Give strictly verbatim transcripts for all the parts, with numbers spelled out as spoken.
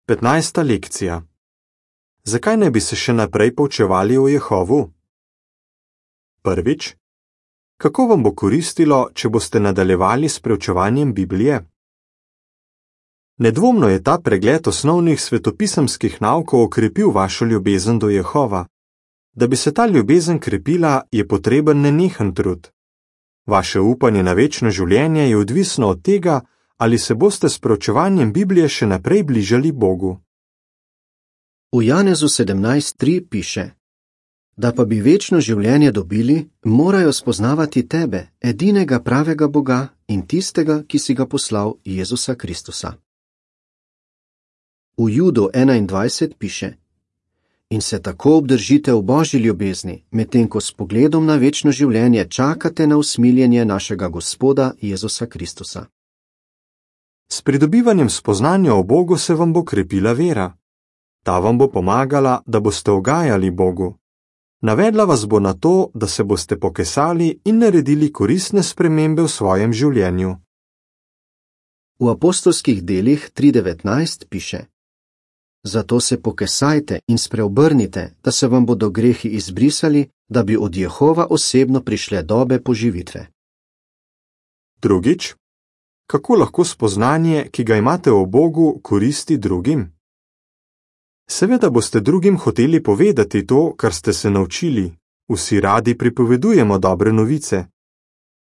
petnajsta lekcija. Zakaj ne bi se še naprej poučevali o Jehovu? Prvič. Kako vam bo koristilo, če boste nadaljevali s preučevanjem Biblije? Nedvomno je ta pregled osnovnih svetopisemskih naukov okrepil vašo ljubezen do Jehova. Da bi se ta ljubezen krepila, je potreben nenehen trud. Vaše upanje na večno življenje je odvisno od tega, ali se boste s preučevanjem Biblije še naprej bližali Bogu. V Janezu sedemnajst tri piše: Da pa bi večno življenje dobili, morajo spoznavati tebe, edinega pravega Boga in tistega, ki si ga poslal, Jezusa Kristusa. V Judu enaindvajset piše: In se tako obdržite v Božji ljubezni, medtem ko s pogledom na večno življenje čakate na usmiljenje našega Gospoda Jezusa Kristusa. S pridobivanjem spoznanja o Bogu se vam bo krepila vera. Ta vam bo pomagala, da boste ugajali Bogu. Navedla vas bo na to, da se boste pokesali in naredili koristne spremembe v svojem življenju. V apostolskih delih tri devetnajst piše: Zato se pokesajte in spreobrnite, da se vam bodo grehi izbrisali, da bi od Jehova osebno prišle dobe poživitve. Drugič. Kako lahko spoznanje, ki ga imate o Bogu, koristi drugim? Seveda boste drugim hoteli povedati to, kar ste se naučili. Vsi radi pripovedujemo dobre novice.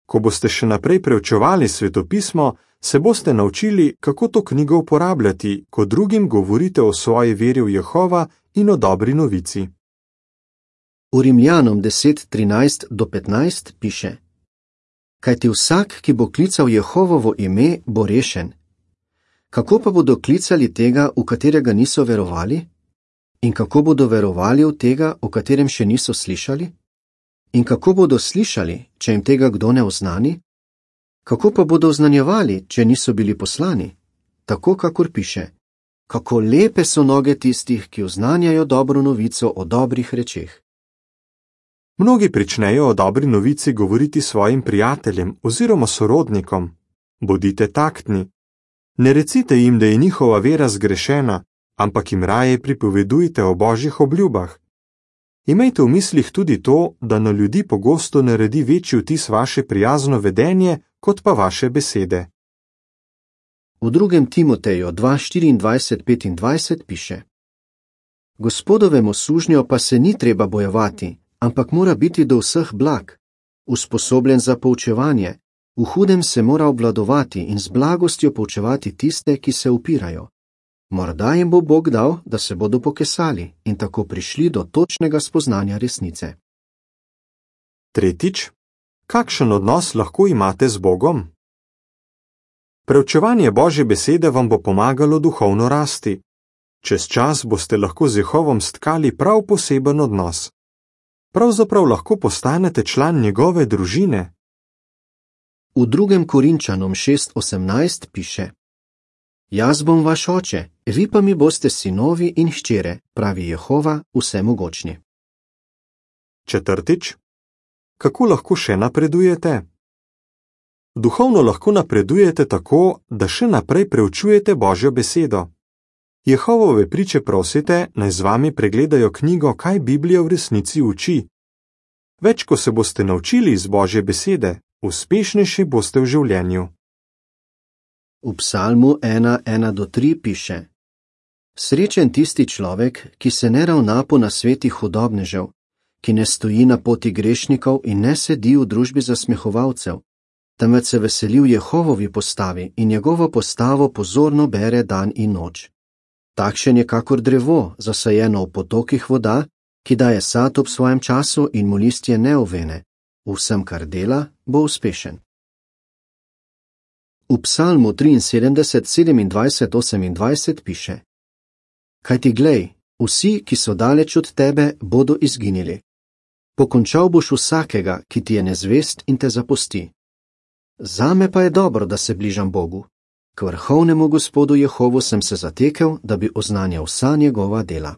Ko boste še naprej preučevali svetopismo, se boste naučili, kako to knjigo uporabljati, ko drugim govorite o svoji veri v Jehova in o dobri novici. V Rimljanom deset trinajst do petnajst piše: Kajti vsak, ki bo klical Jehovovo ime, bo rešen. Kako pa bodo klicali tega, v katerega niso verovali? In kako bodo verovali v tega, o katerem še niso slišali? In kako bodo slišali, če jim tega kdo ne oznani? Kako pa bodo oznanjevali, če niso bili poslani? Tako, kakor piše: Kako lepe so noge tistih, ki oznanjajo dobro novico o dobrih rečeh. Mnogi pričnejo o dobri novici govoriti svojim prijateljem oziroma sorodnikom. Bodite taktni. Ne recite jim, da je njihova vera zgrešena, ampak jim raje pripovedujte o Božjih obljubah. Imejte v mislih tudi to, da na ljudi pogosto naredi večji vtis vaše prijazno vedenje, kot pa vaše besede. V drugem Timoteju dva štiriindvajset petindvajset piše: Gospodovemu sužnju pa se ni treba bojevati, ampak mora biti do vseh blag, usposobljen za poučevanje, v hudem se mora obvladovati in z blagostjo poučevati tiste, ki se upirajo. Morda jim bo Bog dal, da se bodo pokesali in tako prišli do točnega spoznanja resnice. Tretjič. Kakšen odnos lahko imate z Bogom? Preučevanje Božje besede vam bo pomagalo duhovno rasti. Čez čas boste lahko z Jehovom stkali prav poseben odnos. Pravzaprav lahko postanete član njegove družine. V drugem Korinčanom šest osemnajst piše: Jaz bom vaš oče, vi pa mi boste sinovi in hčere, pravi Jehova vsemogočni. Četrtič. Kako lahko še napredujete? Duhovno lahko napredujete tako, da še naprej preučujete Božjo besedo. Jehovove priče prosite, naj z vami pregledajo knjigo, kaj Biblija v resnici uči. Več, ko se boste naučili iz Božje besede, uspešnejši boste v življenju. V Psalmu ena ena do tri piše: Srečen tisti človek, ki se ne ravna po nasvetih hudobnežev, ki ne stoji na poti grešnikov in ne sedi v družbi zasmehovalcev, temveč se veseli v Jehovovi postavi in njegovo postavo pozorno bere dan in noč. Takšen je kakor drevo, zasajeno v potokih voda, ki daje sad ob svojem času in mu listje ne ovene. V vsem, kar dela, bo uspešen. V Psalmu triinsedemdeset sedemindvajset osemindvajset piše: Kajti glej, vsi, ki so daleč od tebe, bodo izginili. Pokončal boš vsakega, ki ti je nezvest in te zapusti. Zame pa je dobro, da se bližam Bogu. K vrhovnemu Gospodu Jehovu sem se zatekel, da bi oznanjal vsa njegova dela.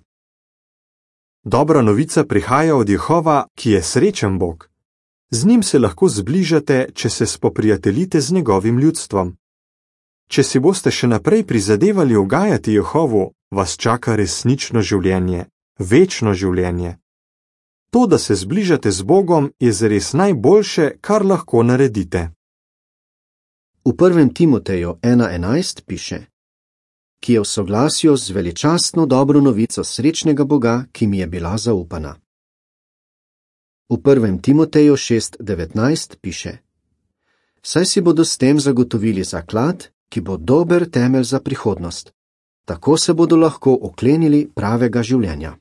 Dobra novica prihaja od Jehova, ki je srečen Bog. Z njim se lahko zbližate, če se spoprijateljite z njegovim ljudstvom. Če si boste še naprej prizadevali ugajati Jehovu, vas čaka resnično življenje, večno življenje. To, da se zbližate z Bogom, je zares najboljše, kar lahko naredite. V prvem Timoteju ena enajst piše: ki je v soglasju z veličastno dobro novico srečnega Boga, ki mi je bila zaupana. V prvem Timoteju šest devetnajst piše: saj si bodo s tem zagotovili zaklad, ki bo dober temelj za prihodnost. Tako se bodo lahko oklenili pravega življenja.